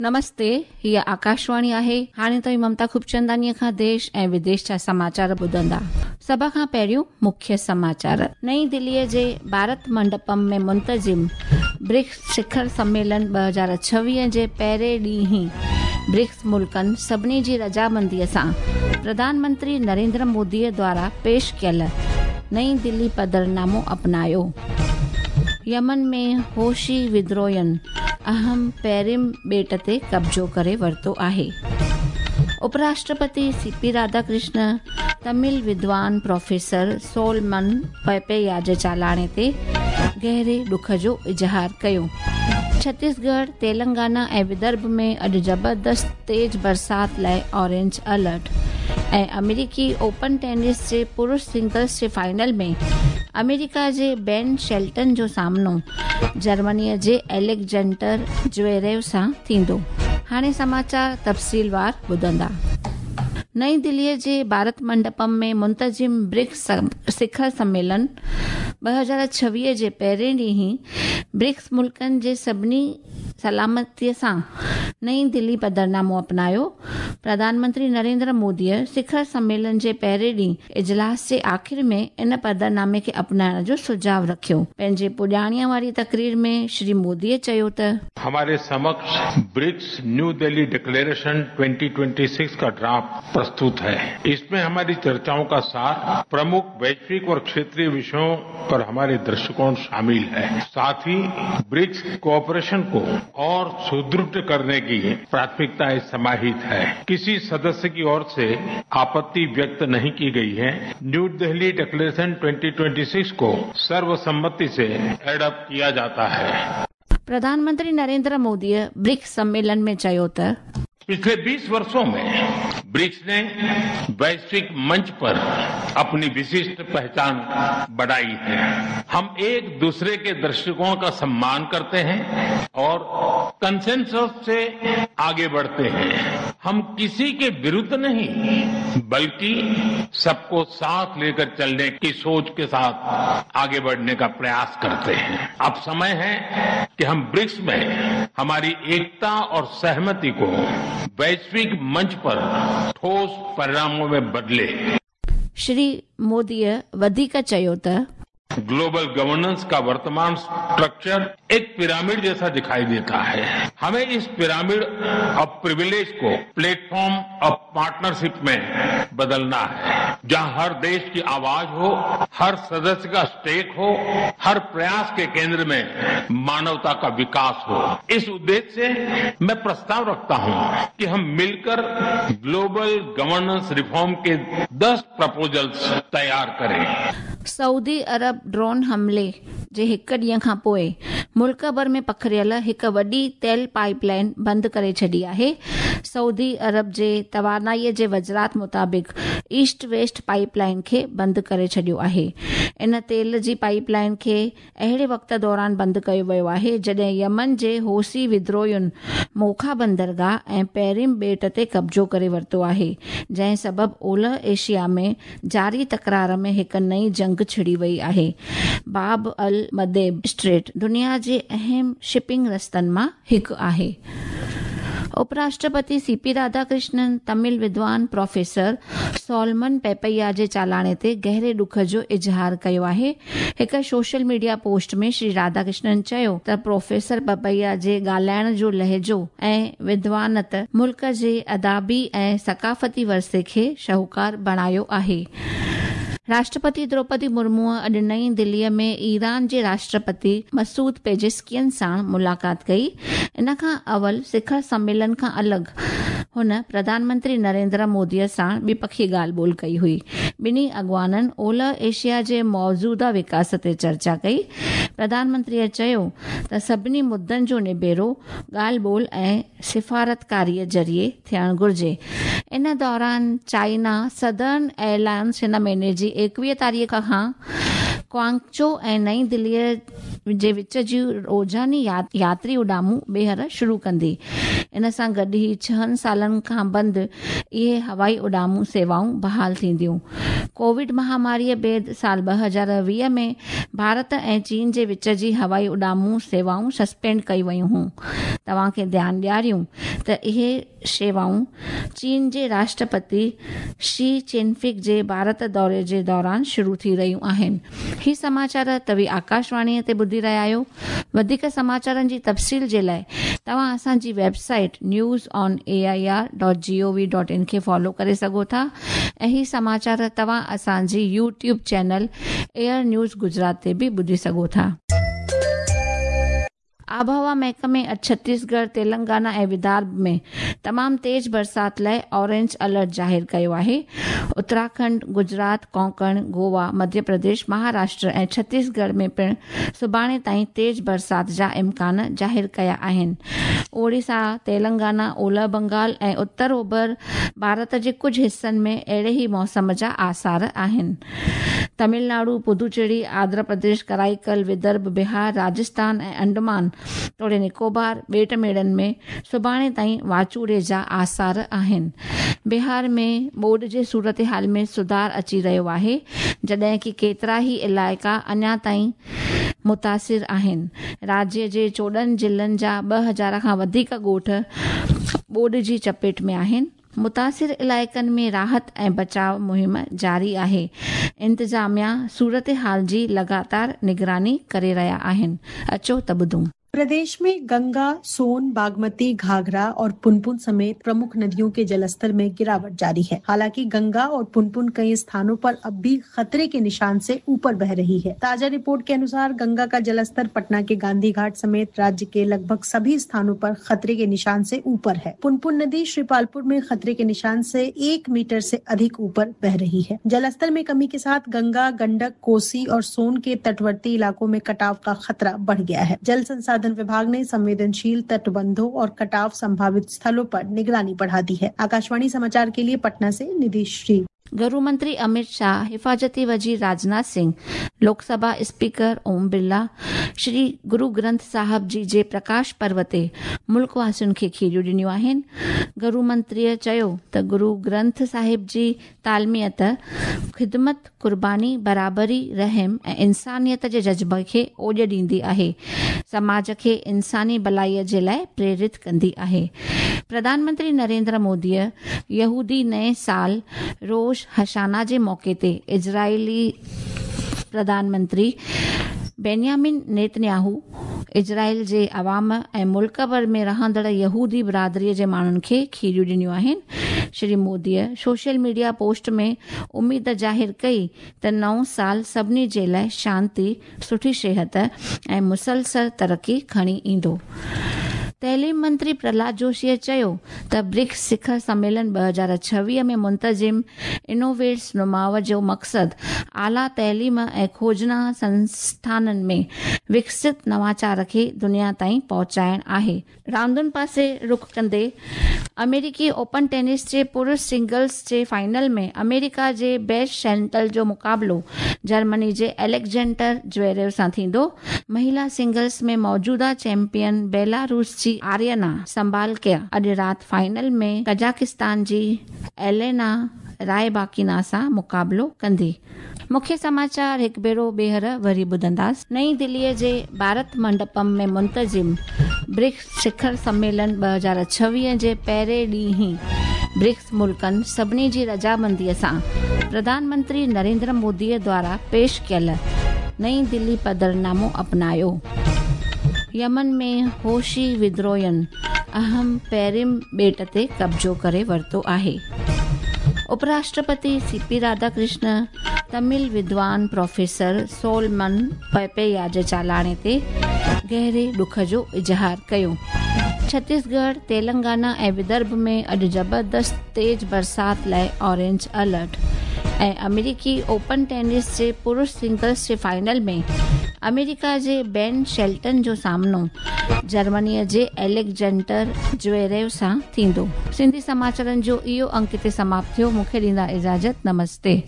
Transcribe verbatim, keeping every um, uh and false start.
नमस्ते, हीअ आकाशवाणी आहे। हाणे तव्हीं ममता खूबचंदानीअ खां देश ऐं विदेश जा समाचार ॿुधंदा। सभ खां पहिरियों मुख्य समाचार। नई दिल्लीअ जे भारत मंडपम में मुंतज़िम ब्रिक्स शिखर सम्मेलन ॿ हज़ार छवीह जे पहिरें ॾींहुं ब्रिक्स मुल्कनि सभिनी जी रज़ामंदीअ सां प्रधानमंत्री नरेंद्र मोदीअ द्वारा पेश कयल नई दिल्ली पधरनामो अपनायो। यमन में होशी विद्रोहियुनि अहम पेरिम ॿेट ते कब्ज़ो करे वरितो आहे। उपराष्ट्रपति सी पी राधाकृष्ण तमिल विद्वान प्रोफेसर सोलमन पपैया जे चालाणे ते गहरे ॾुख जो इज़हार कयो। छत्तीसगढ़, तेलंगाना ऐं विदर्भ में अॼु ज़बरदस्त तेज़ बरसात लाइ ऑरेंज अलर्ट। ऐं अमेरिकी ओपन टेनिस जे पुरुष सिंगल्स जे फाइनल में अमेरिका जे बेन शेल्टन जो सामनो जर्मनीअ जे एलेक्जेंडर ज्वेरेव सां थींदो। हाणे समाचार तफ़सीलवार ॿुधंदा। नई दिल्लीअ जे भारत मंडपम में मुंतज़िम ब्रिक्स शिखर सम्मेलन ॿ हज़ार छवीह जे पहिरें ॾींहुं ब्रिक्स मुल्कनि जे सभिनी सलामतीअ सां नई दिल्ली पधरनामो अपनायो। प्रधानमंत्री नरेंद्र मोदीअ शिखर सम्मेलन जे पहिरें ॾींहुं इजलास जे आख़िर में इन पधरनामे खे अपनाइण जो सुझाव रखियो। पंहिंजे पुॼाणीअ वारी तकरीर में श्री मोदीअ चयो त हमारे समक्ष ब्रिक्स न्यू दिल्ली डिक्लेरेशन दो हज़ार छब्बीस का ड्राफ्ट प्रस्तुत है। इसमें हमारी चर्चाओं का सार, प्रमुख वैश्विक और क्षेत्रीय विषयों पर हमारे दृष्टिकोण शामिल है। साथ ही ब्रिक्स कोऑपरेशन को और सुदृढ़ करने की प्राथमिकताएं समाहित है। किसी सदस्य की ओर से आपत्ति व्यक्त नहीं की गई है। न्यू दिल्ली डिक्लेरेशन दो हज़ार छब्बीस को सर्वसम्मति से एडॉप्ट किया जाता है। प्रधानमंत्री नरेंद्र मोदीअ ब्रिक्स सम्मेलन में चयो त पिछले बीस वर्षों में ब्रिक्स ने वैश्विक मंच पर अपनी विशिष्ट पहचान बढ़ाई है। हम एक दूसरे के दृष्टिकोण का सम्मान करते हैं और कंसेंसस से आगे बढ़ते हैं। हम किसी के विरुद्ध नहीं, बल्कि सबको साथ लेकर चलने की सोच के साथ आगे बढ़ने का प्रयास करते हैं। अब समय है कि हम ब्रिक्स में हमारी एकता और सहमति को वैश्विक मंच पर ठोस परिणामों में बदले। श्री मोदीअ वधीक चयो त ग्लोबल गवर्नेंस का वर्तमान स्ट्रक्चर एक पिरामिड जैसा दिखाई देता है। हमें इस पिरामिड ऑफ प्रिविलेज को प्लेटफॉर्म ऑफ पार्टनरशिप में बदलना है, जहां हर देश की आवाज हो, हर सदस्य का स्टेक हो, हर प्रयास के केंद्र में मानवता का विकास हो। इस उद्देश्य से मैं प्रस्ताव रखता हूं कि हम मिलकर ग्लोबल गवर्नेंस रिफॉर्म के दस प्रपोजल्स तैयार करें। सऊदी अरब ड्रोन हमले जे हिकु ॾींहं खां पोइ मुल्क भर में पखिड़ियल हिकु वॾी तेल पाइपलाइन बंदि करे छॾी आहे। सऊदी अरब जे तवानाईअ जे वज़ारत मुताबिक़ ईस्ट वेस्ट पाइपलाइन खे बंदि करे छॾियो आहे। इन तेल जी पाइपलाइन खे अहिड़े वक़्त दौरान बंदि कयो वियो आहे, जॾहिं यमन जे होसी विद्रोहियुनि मोखा बंदरगाह ऐं पेरिम ॿेट ते कब्ज़ो करे वरितो आहे, जंहिं सबबु ओलह एशिया में जारी तकरार में हिकु नई जंग छिड़ी वई आहे। बाब अल मदेब स्ट्रेट दुनिया जे अहम शिपिंग रस्तनि मां हिकु आहे। उपराष्ट्रपति सी पी राधाकृष्णन तमिल विद्वान प्रोफेसर सोलमन पेपैया जे चालाणे ते गहरे ॾुख जो इज़हार कयो आहे। हिकु सोशल मीडिया पोस्ट में श्री राधाकृष्णन चयो त प्रोफेसर पपैया जे ॻाल्हाइण जो लहजो ऐं विद्वानत मुल्क जे अदाबी ऐं सकाफ़ती वरसे खे शाहूकार बणायो आहे। राष्ट्रपति द्रौपदी मुर्मूअ अॼु नई दिल्लीअ में ईरान जे राष्ट्रपति मसूद पेजेस्कियन सां मुलाक़ात कई। इन खां अवल शिखर सम्मेलन खां अलॻि हुन प्रधानमंत्री नरेंद्र मोदीअ सां ॿिपखी ॻाल्हि ॿोल कई हुई। ॿिन्ही अॻवाननि ओलह एशिया जे मौजूदा विकास ते चर्चा कई। प्रधानमंत्रीअ चयो त सभिनी मुद्दनि जो निबेड़ो ॻाल्हि ॿोल ऐं सिफारतकारीअ ज़रिए थियणु घुर्जे। इन दौरान चाइना सदर्न एयरलाइंस हिन महीने जी एकवीह तारीख़ खां क्वांगचो ऐं नई दिल्लीअ जे विच जूं रोज़ानी यात्री उॾामूं ॿीहर शुरू कंदी। इन सां गॾु ई छहनि सालनि खां बंदि इहे हवाई उॾामूं सेवाऊं बहाल थींदियूं। कोविड महामारीअ बाद साल ॿ हज़ार वीह में भारत ऐं चीन जे विच जी हवाई उॾामूं सेवाऊं सस्पेंड कई वयूं हुयूं। तव्हांखे ध्यानु ॾियारियूं त इहे सेवाऊं चीन जे राष्ट्रपति शी चिनफिंग जे भारत दौरे जे दौरान शुरू थी रहियूं आहिनि। ही समाचार तव्हीं आकाशवाणीअ ते ॿुधी रहिया आहियो। वधीक समाचारनि जी तफ़सील जे लाइ तव्हां असांजी website news on A I R dot G O V dot in खे फॉलो करे सघो था ऐं ही समाचार तव्हां असांजी YouTube channel AIR news Gujarat ते बि ॿुधी सघो था। आबहवा महकमे अॼु छत्तीसगढ़, तेलंगाना ऐं विदर्भ में तमामु तेज़ बरसाति लाइ ऑरेंज अलर्ट ज़ाहिर कयो आहे। उत्तराखंड, गुजरात, कोंकण, गोवा, मध्य प्रदेश, महाराष्ट्र ऐं छत्तीसगढ़ में पिणु सुभाणे ताईं तेज़ बरसाति जा इम्कान ज़ाहिर कया आहिनि। ओडिशा, तेलंगाना, ओलह बंगाल ऐं उत्तर ओभर भारत जे कुझु हिसनि में अहिड़े ई मौसम जा आसार आहिनि। तमिलनाडु, पुदुचेरी, आंध्र प्रदेश, कराईकल, विदर्भ, बिहार, राजस्थान ऐं अंडमान तोड़े निकोबार ॿेट मेड़नि में सुभाणे ताईं वाचूड़े जा आसार आहिनि। बिहार में ॿोॾ जे सूरत हाल में सुधार अची रहियो आहे, जॾहिं की केतिरा ई इलाइक़ा अञा ताईं मुतासिर आहिनि। राज्य जे चोॾहं ज़िलनि जा ॿ हज़ार खां वधीक ॻोठ ॿोॾ जी चपेट में आहिनि। मुतासिर इलाइक़नि में राहत ऐं बचाव मुहिम जारी आहे। इंतिज़ामिया सूरत हाल जी लगातार निगरानी करे रहिया आहिनि। अचो त ॿुधूं। प्रदेश में गंगा, सोन, बागमती, घाघरा और पुनपुन समेत प्रमुख नदियों के जलस्तर में गिरावट जारी है। हालांकि गंगा और पुनपुन कई स्थानों पर अब भी खतरे के निशान से ऊपर बह रही है। ताजा रिपोर्ट के अनुसार गंगा का जलस्तर पटना के गांधी घाट समेत राज्य के लगभग सभी स्थानों पर खतरे के निशान से ऊपर है। पुनपुन नदी श्रीपालपुर में खतरे के निशान से एक मीटर से अधिक ऊपर बह रही है। जलस्तर में कमी के साथ गंगा, गंडक, कोसी और सोन के तटवर्ती इलाकों में कटाव का खतरा बढ़ गया है। जल संसाधन विभाग ने संवेदनशील तटबंधों और कटाव संभावित स्थलों पर निगरानी बढ़ा दी है। आकाशवाणी समाचार के लिए पटना से निधि श्री। गृह मंत्री अमित शाह, हिफाज़ती वज़ीर राजनाथ सिंह, लोकसभा स्पीकर ओम बिरला श्री गुरु ग्रंथ साहब जी जे प्रकाश पर्व ते मुल्क वासियुनि खे खीरियूं ॾिनियूं आहिनि। गृह मंत्रीअ चयो त गुरु ग्रंथ साहिब जी तालमियत, ख़िदमत, कुर्बानी, बराबरी, रहम ऐं इंसानियत जे जज़्बे खे ओॼ ॾींदी आहे, समाज खे इंसानी भलाईअ जे लाइ प्रेरित कंदी आहे। प्रधानमंत्री नरेंद्र मोदीअ यहूदी नए साल रोश हशाना जे मौक़े ते इज़राइली प्रधानमंत्री बेन्यामिन नेतन्याहू, इज़राइल जे अवाम ऐं मुल्क भर में रहंदड़ यहूदी बिरादरीअ जे माण्हुनि खे खीरियूं ॾिनियूं आहिनि। श्री मोदीअ सोशल मीडिया पोस्ट में उमेद ज़ाहिर कई त नओं साल सभिनी जे लाइ शांति, सुठी सिहत ऐं मुसलसल तरक़ी खणी ईंदो। तइलीम मंत्री प्रहलाद जोशीअ चयो त ब्रिक्स शिखर सम्मेलन ॿ हज़ार छवीह में मुंतज़िम इनोवेट्स नुमाव जो मक़सदु आला तइलीम ऐं खोजना संस्थाननि में विकसित नवाचार खे दुनिया ताईं पहुचाइण आहे। रांदुनि पासे रुख कंदे अमेरिकी ओपन टेनिस जे पुरुष सिंगल्स जे फाइनल में अमेरिका जे बेस्ट शेल्टन जो मुक़ाबिलो जर्मनी जे अलेक्जेंडर ज्वेरेव सां थींदो। महिला सिंगल्स में मौजूदा चैंपियन बेलारूस जी आर्यना संभालकिया अॼु राति फाइनल में कजाकिस्तान जी एलेना रायबाकिना सां मुक़ाबिलो कंदी। मुख्य समाचार हिकु भेरो ॿीहर वरी ॿुधंदासीं। नई दिल्लीअ जे भारत मंडपम में मुंतज़िम ब्रिक्स शिखर सम्मेलन ॿ हज़ार छवीह जे पहिरें ॾींहुं ई ब्रिक्स मुल्कनि सभिनी जी रज़ामंदीअ सां प्रधानमंत्री नरेंद्र मोदीअ द्वारा पेश कयल नई दिल्ली पधरनामो अपनायो। यमन में होशी विद्रोहियुनि अहम पेरिम ॿेट ते कब्ज़ो करे वरितो आहे। उपराष्ट्रपति सी पी राधाकृष्ण तमिल विद्वान प्रोफेसर सोलमन पेपेया जे चालाणे ते गहरे ॾुख जो इज़हार कयो। छत्तीसगढ़, तेलंगाना ऐं विदर्भ में अॼु ज़बरदस्त तेज़ बरसाति लाइ ऑरेंज अलर्ट। ऐं अमेरिकी ओपन टेनिस जे पुरुष सिंगल्स जे फाइनल में अमेरिका जे बेन शेल्टन जो सामनो जर्मनीअ जे अलेक्जेंडर ज्वेरेव सां थींदो। सिंधी समाचारनि जो इहो अंक हिते समाप्त थियो। मूंखे ॾींदा इजाज़त। नमस्ते।